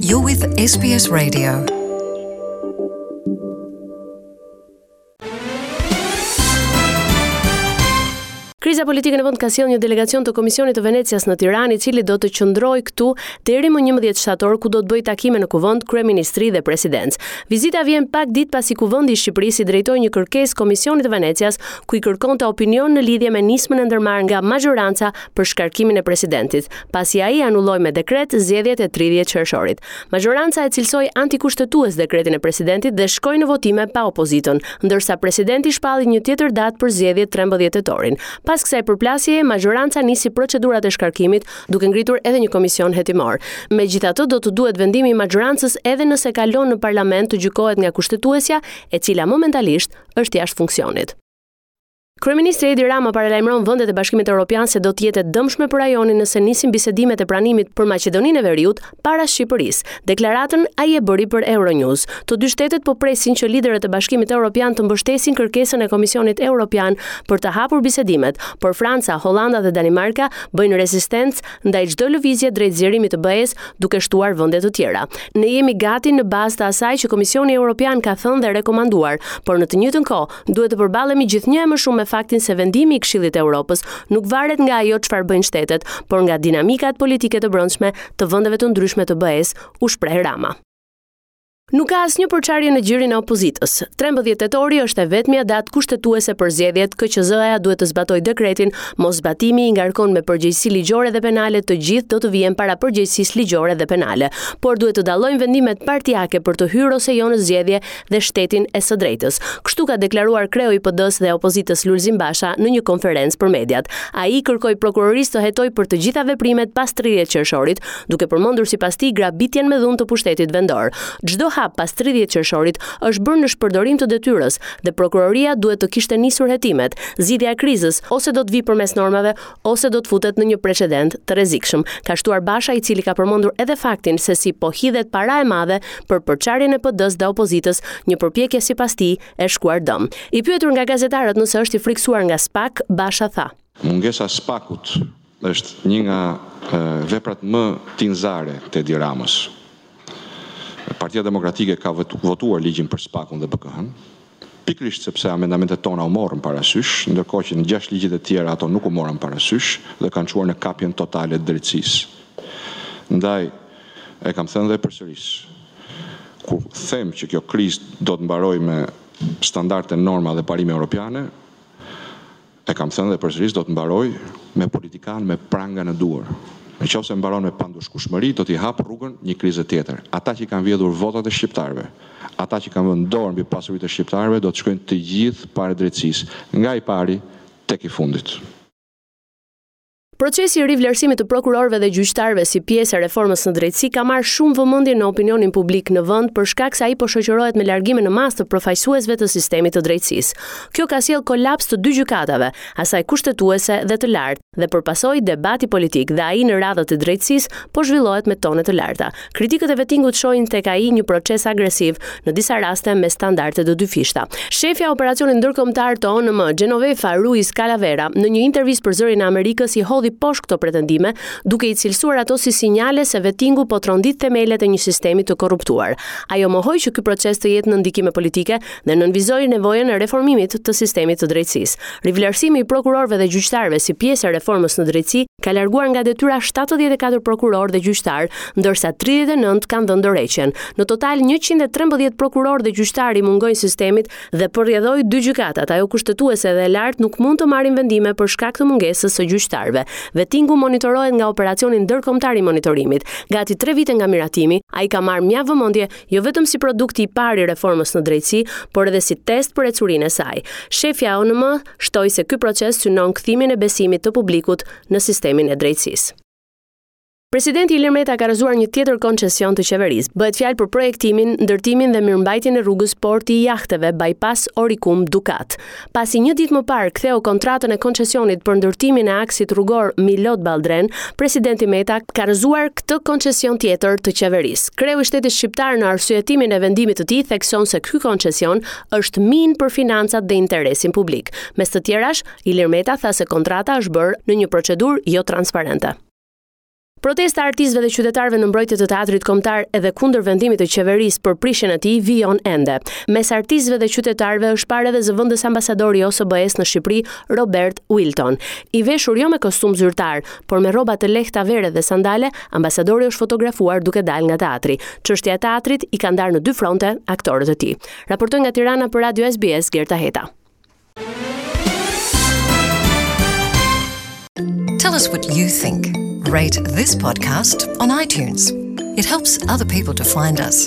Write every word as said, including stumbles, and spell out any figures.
You're with S B S Radio. Kriza politike në vend ka sjellë një delegacion të Komisionit të Venecias në Tiranë, i cili do të qëndrojë këtu deri më njëmbëdhjetë shtator, ku do të bëjë takime në Kuvend, Kryeministri dhe Presidencë. Vizita vjen pak ditë pasi Kuvendi i Shqipërisë i drejtoi një kërkesë Komisionit të Venecias, ku i kërkonte opinion në lidhje me nismën e ndërmarrë nga majoranca për shkarkimin e presidentit, pasi ai anulloi me dekret zgjedhjet e tridhjetë qershorit. Majoranca e cilësoi antikushtetues dekretin e presidentit dhe shkoi në votime pa opozitën, ndërsa presidenti shpalli një tjetër datë për zgjedhjet, trembëdhjetë tetorin. Pas kësaj përplasjeje, majoranca nisi procedurat e shkarkimit, duke ngritur edhe një komision hetimor. Megjithatë, do të duhet vendimi i majorancës edhe nëse kalon në parlament të gjykohet nga kushtetuesja, e cila momentalisht është jashtë funksionit. Kryeministri Edi Rama paralajmëron vendet e Bashkimit Evropian se do të jetë e dëmshme për rajonin nëse nisin bisedimet e pranimit për Maqedoninë e Veriut para Shqipërisë. Deklaratën ai e bëri për Euronews. Të dy shtetet po presin që liderët e Bashkimit Evropian të mbështesin kërkesën e Komisionit Evropian për të hapur bisedimet, por Franca, Hollanda dhe Danimarka bëjnë rezistencë ndaj çdo lëvizje drejt zgjerimit të B E-s, duke shtuar vende të tjera. Ne jemi gati në bazë të asaj që Komisioni Evropian ka thënë dhe rekomanduar, por në të njëjtën kohë duhet të përballemi gjithnjë e më shumë me faktin se vendimi i Këshillit të Evropës nuk varet nga ajo çfarë bëjnë shtetet, por nga dinamikat politike të brendshme të vendeve të ndryshme të B E-s, u shpreh Rama. Nuk ka asnjë përçarje në gjirin e opozitës. Trembëdhjetë tetori është e vetmja datë kushtetuese për zgjedhjet. K Q Z-ja duhet të zbatojë dekretin, mos zbatimi i ngarkon me përgjegjësi ligjore dhe penale, të gjithë do të vihen para përgjegjësisë ligjore dhe penale. Por duhet të dallojnë vendimet partiake për të hyrë ose jo në zgjedhje dhe shtetin e së drejtës. Kështu ka deklaruar kreu i P D-s dhe opozitës Lulzim Basha në një konferencë për mediat. Ai kërkoi prokurorisë të hetojë për të gjitha veprimet pas tridhjetë qershorit, duke përmendur sipas tij grabitjen me dhunë të pushtetit vendor. Çdo hap pas tridhjetë qershorit është bërë në shpërdorim të detyrës dhe prokuroria duhet të kishte nisur hetimet. Zgjidhja e krizës ose do të vijë përmes normave ose do të futet në një precedent të rrezikshëm, ka shtuar Basha, i cili ka përmendur edhe faktin se si po hidhet para e madhe për përçarjen e P D-s dhe opozitës, një përpjekje sipas tij e shkuar dëm. I pyetur nga gazetarët nëse është i friksuar nga S P A K, Basha tha: Mungesa e S P A K-ut është një nga, e, veprat më tinzare të Edi Ramës. Partia Demokratike ka votu-, votuar ligjin për S P A K-un dhe B K H-n, pikërisht sepse amendamentet tona u morën parasysh, ndërkohë që në gjashtë ligjet e tjera ato nuk u morën parasysh dhe kanë çuar në kapjen totale të drejtësisë. Ndaj, e kam thënë dhe përsëris, kur them që kjo krizë do të mbarojë me standarde, norma dhe parime europiane, e kam thënë dhe përsëris, do të mbarojë me politikan me pranga në duar. Në qoftë se mbaron me pandushkueshmëri, do t'i hap rrugën një krize tjetër. Ata që kanë vjedhur votat e shqiptarëve, ata që kanë vënë dorë mbi pasuritë e shqiptarëve, do të shkojnë të gjithë para drejtësisë, nga i pari tek i fundit. Procesi i rivlerësimit të prokurorëve dhe gjyqtarëve si pjesë e reformës në drejtësi ka marrë shumë vëmendje në opinionin publik në vend për shkak se ai po shoqërohet me largime në masë të përfaqësuesve të sistemit të drejtësisë. Kjo ka sjellë kolaps të dy gjykatave, asaj kushtetuese dhe të lartë, dhe për pasojë debati politik dhe ai në radhët e drejtësisë po zhvillohet me tone të larta. Kritikët e vetingut shohin tek ai një proces agresiv, në disa raste me standarde të dyfishta. Shefja e operacionit ndërkombëtar të O N M, Genovefa Ruiz Calavera, në një intervistë për Zërin e Amerikës i hodhi poshtë këto pretendime, duke i cilësuar ato si sinjale se vetingu po trondit themelet e një sistemi të korruptuar. Ajo mohoi që ky proces të jetë në ndikime politike dhe nënvizoi nevojën e reformimit të sistemit të drejtësisë. Rivlerësimi i prokurorëve dhe gjyqtarëve si pjesë e reformës në drejtësi ka larguar nga detyra shtatëdhjetë e katër prokurorë dhe gjyqtarë, ndërsa tridhjetë e nëntë kanë dhënë dorëheqjen. Në total njëqind e trembëdhjetë prokurorë dhe gjyqtarë i mungojnë sistemit dhe për rrjedhojë dy gjykatat, ajo kushtetuese dhe e lartë, nuk mund të marrin vendime për shkak të mungesës së gjyqtarëve. Vetingu monitorohet nga operacioni ndërkombëtar i monitorimit. Gati tre vite nga miratimi, ai ka marrë mjaft vëmendje jo vetëm si produkti i parë i reformës në drejtësi, por edhe si test për ecurinë e saj. Shefja e O N M shtoi se ky proces synon kthimin e besimit të publikut në sistemin e drejtësisë. Presidenti Ilir Meta ka rrëzuar një tjetër koncesion të qeverisë. Bëhet fjalë për projektimin, ndërtimin dhe mirëmbajtjen e rrugës Porti i Jahteve bypass Orikum Dukat. Pasi një ditë më parë ktheu kontratën e koncesionit për ndërtimin e aksit rrugor Milot Balldren, presidenti Meta ka rrëzuar këtë koncesion tjetër të qeverisë. Kreu i shtetit shqiptar në arsyetimin e vendimit të tij thekson se ky koncesion është minë për financat dhe interesin publik. Mes të tjerash, Ilir Meta tha se kontrata është bërë në një procedurë jo transparente. Protesta e artistëve dhe qytetarëve në mbrojtje të Teatrit Kombëtar edhe kundër vendimit të qeverisë për prishjen e tij vijon ende. Mes artistëve dhe qytetarëve është parë edhe zëvendës ambasadori i O S B E-s në Shqipëri, Robert Wilton. I veshur jo me kostum zyrtar, por me rroba të lehta vere dhe sandale, ambasadori është fotografuar duke dalë nga teatri. Çështja e teatrit i ka ndarë në dy fronte aktorët e tij. Raportoi nga Tirana për Radio S B S Gerta Heta. Tell us what you think. Rate this podcast on iTunes. It helps other people to find us.